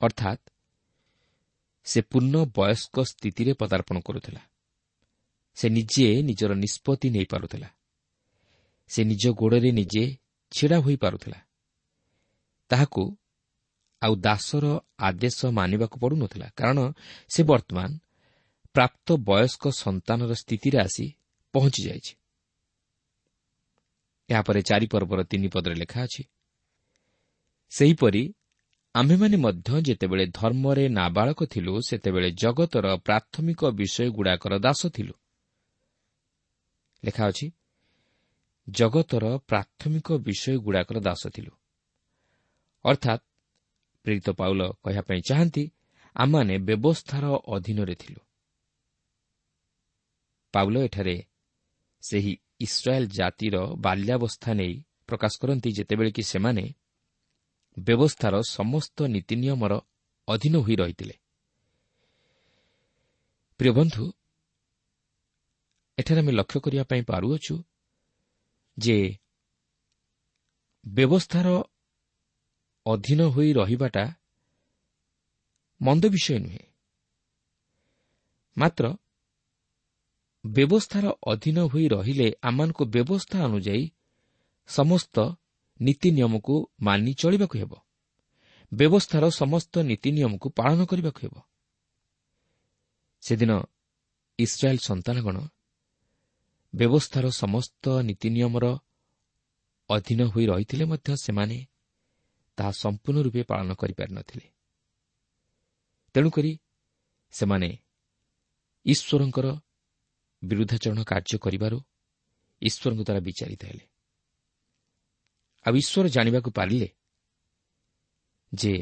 ଅର୍ଥାତ୍ ସେ ପୂର୍ଣ୍ଣ ବୟସ୍କ ସ୍ଥିତିରେ ପଦାର୍ପଣ କରୁଥିଲା। ସେ ନିଜେ ନିଜର ନିଷ୍ପତ୍ତି ନେଇପାରୁଥିଲା। ସେ ନିଜ ଗୋଡ଼ରେ ନିଜେ ଛିଡ଼ା ହୋଇପାରୁଥିଲା। ତାହାକୁ ଆଉ ଦାସର ଆଦେଶ ମାନିବାକୁ ପଡ଼ୁନଥିଲା, କାରଣ ସେ ବର୍ତ୍ତମାନ ପ୍ରାପ୍ତ ବୟସ୍କ ସନ୍ତାନର ସ୍ଥିତିରେ ଆସି ପହଞ୍ଚିଯାଇଛି। ଏହାପରେ ଚାରିପର୍ବର ତିନି ପଦରେ ଲେଖା ଅଛି, ସେହିପରି ଆମ୍ଭେମାନେ ମଧ୍ୟ ଯେତେବେଳେ ଧର୍ମରେ ନାବାଳକ ଥିଲୁ, ସେତେବେଳେ ଜଗତର ପ୍ରାଥମିକ ବିଷୟଗୁଡ଼ାକର ଦାସ ଥିଲୁ। ଲେଖା ଅଛି, ଜଗତର ପ୍ରାଥମିକ ବିଷୟଗୁଡ଼ାକର ଦାସ ଥିଲୁ। ଅର୍ଥାତ୍ ପ୍ରେରିତ ପାଉଲ କହିବା ପାଇଁ ଚାହାନ୍ତି, ଆମମାନେ ବ୍ୟବସ୍ଥାର ଅଧୀନରେ ଥିଲୁ। ପାଉଲ ଏଠାରେ ସେହି ଇସ୍ରାଏଲ ଜାତିର ବାଲ୍ୟାବସ୍ଥା ନେଇ ପ୍ରକାଶ କରନ୍ତି, ଯେତେବେଳେ କି ସେମାନେ ବ୍ୟବସ୍ଥାର ସମସ୍ତ ନୀତି ନିୟମର ଅଧୀନ ହୋଇ ରହିଥିଲେ। ପ୍ରିୟ ବନ୍ଧୁ, ଏଠାରେ ଆମେ ଲକ୍ଷ୍ୟ କରିବା ପାଇଁ ପାରୁଅଛୁ ଯେ ବ୍ୟବସ୍ଥାର ଅଧୀନ ହୋଇ ରହିବାଟା ମନ୍ଦ ବିଷୟ ନୁହେଁ, ମାତ୍ର ବ୍ୟବସ୍ଥାର ଅଧୀନ ହୋଇ ରହିଲେ ଆମମାନଙ୍କୁ ବ୍ୟବସ୍ଥା ଅନୁଯାୟୀ ସମସ୍ତ ନୀତି ନିୟମକୁ ମାନି ଚଳିବାକୁ ହେବ, ବ୍ୟବସ୍ଥାର ସମସ୍ତ ନୀତି ନିୟମକୁ ପାଳନ କରିବାକୁ ହେବ। ସେଦିନ ଇସ୍ରାଏଲ ସନ୍ତାନଗଣ ବ୍ୟବସ୍ଥାର ସମସ୍ତ ନୀତି ନିୟମର ଅଧୀନ ହୋଇ ରହିଥିଲେ ମଧ୍ୟ ସେମାନେ ତାହା ସମ୍ପୂର୍ଣ୍ଣ ରୂପେ ପାଳନ କରିପାରିନଥିଲେ। ତେଣୁକରି ସେମାନେ ଈଶ୍ୱରଙ୍କର ବିରୁଦ୍ଧାଚରଣ କାର୍ଯ୍ୟ କରିବାରୁ ଈଶ୍ୱରଙ୍କ ଦ୍ୱାରା ବିଚାରିତ ହେଲେ। ଆଉ ଈଶ୍ୱର ଜାଣିବାକୁ ପାରିଲେ ଯେ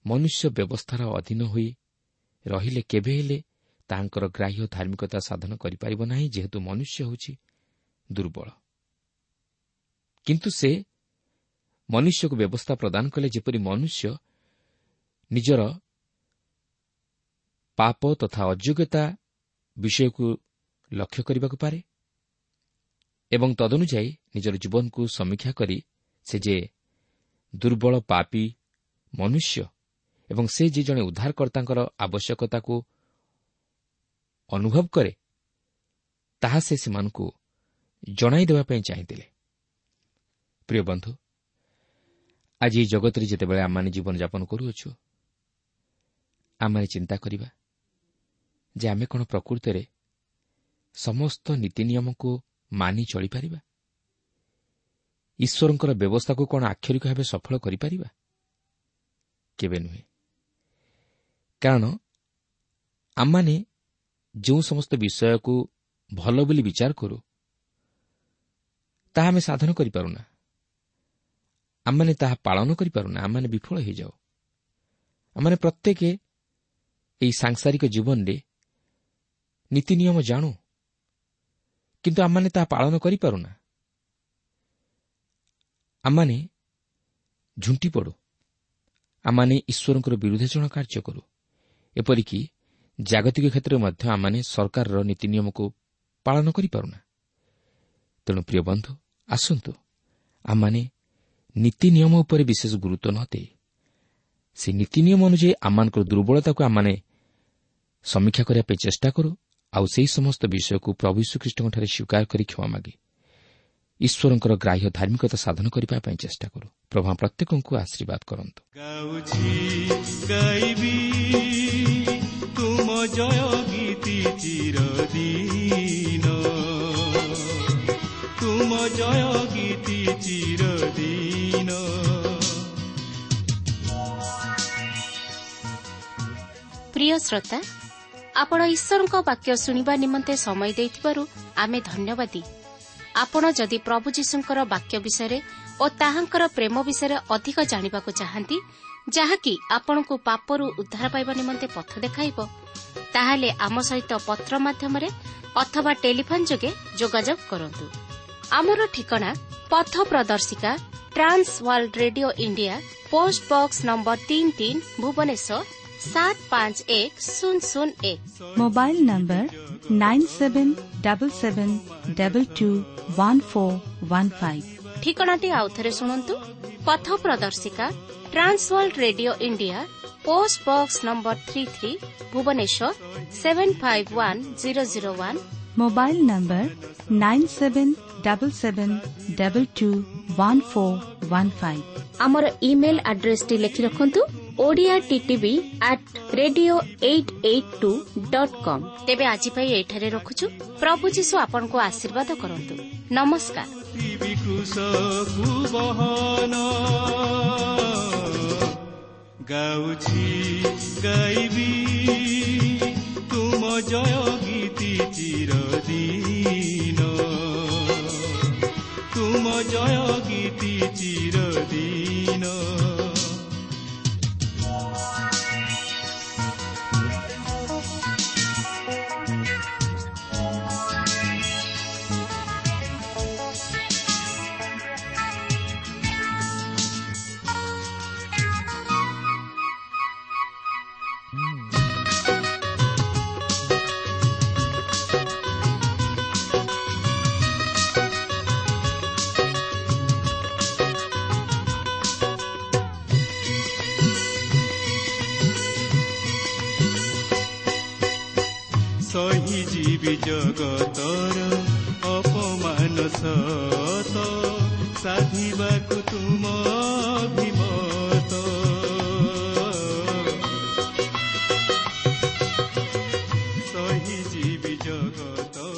ମନୁଷ୍ୟ ବ୍ୟବସ୍ଥାର ଅଧୀନ ହୋଇ ରହିଲେ କେବେ ହେଲେ ତାହାଙ୍କର ଗ୍ରାହ୍ୟ ଧାର୍ମିକତା ସାଧନ କରିପାରିବ ନାହିଁ, ଯେହେତୁ ମନୁଷ୍ୟ ହେଉଛି ଦୁର୍ବଳ। କିନ୍ତୁ ସେ ମନୁଷ୍ୟକୁ ବ୍ୟବସ୍ଥା ପ୍ରଦାନ କଲେ ଯେପରି ମନୁଷ୍ୟ ନିଜର ପାପ ତଥା ଅଯୋଗ୍ୟତା ବିଷୟକୁ ଲକ୍ଷ୍ୟ କରିବାକୁ ପାରେ ଏବଂ ତଦନୁଯାୟୀ ନିଜର ଜୀବନକୁ ସମୀକ୍ଷା କରି ସେ ଯେ ଦୁର୍ବଳ ପାପୀ ମନୁଷ୍ୟ ଏବଂ ସେ ଯେ ଜଣେ ଉଦ୍ଧାରକର୍ତ୍ତାଙ୍କର ଆବଶ୍ୟକତାକୁ ଅନୁଭବ କରେ, ତାହା ସେ ସେମାନଙ୍କୁ ଜଣାଇ ଦେବା ପାଇଁ ଚାହିଁଥିଲେ। ପ୍ରିୟ ବନ୍ଧୁ, ଆଜି ଏହି ଜଗତରେ ଯେତେବେଳେ ଆମମାନେ ଜୀବନଯାପନ କରୁଅଛୁ, ଆମମାନେ ଚିନ୍ତା କରିବା ଯେ ଆମେ କ'ଣ ପ୍ରକୃତରେ ସମସ୍ତ ନୀତି ନିୟମକୁ ମାନି ଚଳିପାରିବା? ଈଶ୍ୱରଙ୍କର ବ୍ୟବସ୍ଥାକୁ କ'ଣ ଆକ୍ଷରିକ ଭାବେ ସଫଳ କରିପାରିବା? କେବେ ନୁହେଁ। କାରଣ ଆମମାନେ ଯେଉଁ ସମସ୍ତ ବିଷୟକୁ ଭଲ ବୋଲି ବିଚାର କରୁ, ତାହା ଆମେ ସାଧନ କରିପାରୁନା, ଆମମାନେ ତାହା ପାଳନ କରିପାରୁନା, ଆମମାନେ ବିଫଳ ହୋଇଯାଉ। ଆମମାନେ ପ୍ରତ୍ୟେକ ଏହି ସାଂସାରିକ ଜୀବନରେ ନୀତି ନିୟମ ଜାଣୁ, କିନ୍ତୁ ଆମମାନେ ତାହା ପାଳନ କରିପାରୁନା। ଆମମାନେ ଝୁଣ୍ଟି ପଡ଼ୁ, ଆମମାନେ ଈଶ୍ୱରଙ୍କର ବିରୁଦ୍ଧାଚରଣ କାର୍ଯ୍ୟ କରୁ। ଏପରିକି ଜାଗତିକ କ୍ଷେତ୍ରରେ ମଧ୍ୟ ଆମମାନେ ସରକାରର ନୀତି ନିୟମକୁ ପାଳନ କରିପାରୁନା। ତେଣୁ ପ୍ରିୟ ବନ୍ଧୁ, ଆସନ୍ତୁ ଆମମାନେ ନୀତି ନିୟମ ଉପରେ ବିଶେଷ ଗୁରୁତ୍ୱ ନ ଦେଇ ସେ ନୀତି ନିୟମ ଅନୁଯାୟୀ ଆମମାନଙ୍କର ଦୁର୍ବଳତାକୁ ଆମମାନେ ସମୀକ୍ଷା କରିବା ପାଇଁ ଚେଷ୍ଟା କରୁ, ଆଉ ସେହି ସମସ୍ତ ବିଷୟକୁ ପ୍ରଭୁ ଯୀଶୁଖ୍ରୀଷ୍ଟଙ୍କଠାରେ ସ୍ୱୀକାର କରି କ୍ଷମା ମାଗି ଈଶ୍ୱରଙ୍କର ଗ୍ରାହ୍ୟ ଧାର୍ମିକତା ସାଧନ କରିବା ପାଇଁ ଚେଷ୍ଟା କରୁ। ପ୍ରଭୁ ପ୍ରତ୍ୟେକଙ୍କୁ ଆଶୀର୍ବାଦ କରନ୍ତୁ। ଗାଉଛି ଗାଇବି ତୁମ ଜୟ ଗୀତି ଚିରଦିନ, ତୁମ ଜୟ ଗୀତି ଚିରଦିନ। ପ୍ରିୟ ଶ୍ରୋତା, ଆପଣ ଈଶ୍ୱରଙ୍କ ବାକ୍ୟ ଶୁଣିବା ନିମନ୍ତେ ସମୟ ଦେଇଥିବାରୁ ଆମେ ଧନ୍ୟବାଦୀ। ଆପଣ ଯଦି ପ୍ରଭୁ ଯୀଶୁଙ୍କର ବାକ୍ୟ ବିଷୟରେ ଓ ତାହାଙ୍କର ପ୍ରେମ ବିଷୟରେ ଅଧିକ ଜାଣିବାକୁ ଚାହାନ୍ତି, ଯାହାକି ଆପଣଙ୍କୁ ପାପରୁ ଉଦ୍ଧାର ପାଇବା ନିମନ୍ତେ ପଥ ଦେଖାଇବ, ତାହେଲେ ଆମ ସହିତ ପତ୍ର ମାଧ୍ୟମରେ ଅଥବା ଟେଲିଫୋନ୍ ଯୋଗେ ଯୋଗାଯୋଗ କରନ୍ତୁ। ଆମର ଠିକଣା ପଥ ପ୍ରଦର୍ଶିକା, Trans World Radio India, post box number ତିନି ତିନି, ଭୁବନେଶ୍ୱର ସାତ ପାଞ୍ଚ ଏକ ଶୂନ ଶୂନ ଏକ। Mobile number nine seven double seven double two one four one five. ଠିକଣାଟି ଆଉଥରେ ଶୁଣନ୍ତୁ। ପଥ ପ୍ରଦର୍ଶିକା, Trans World Radio India, post box number three three, Bhubaneswar seven five one zero zero one. Mobile number nine seven double seven double two one four one five. ଆମର email ଆଡ୍ରେସଟି ଲେଖି ରଖନ୍ତୁ, Odia TTV at radio eight eight two dot com. ତେବେ ଆଜି ପାଇଁ ଏଇଠାରେ ରଖୁଛୁ। ପ୍ରଭୁ ଯୀଶୁ ଆପଣଙ୍କୁ ଆଶୀର୍ବାଦ କରନ୍ତୁ। ନମସ୍କାର। ଗାଉଛି ଗାଇବି ତୁମ ଜୟ ଗୀତି ଚିରଦିନ, ତୁମ ଜୟ ଗୀତି ଚିରଦିନ। ସହି ଯିବି ଜଗତର ଅପମାନ ସତ, ସାଧିବାକୁ ତୁମ ଅଭିମତ। ସହି ଯିବି ଜଗତର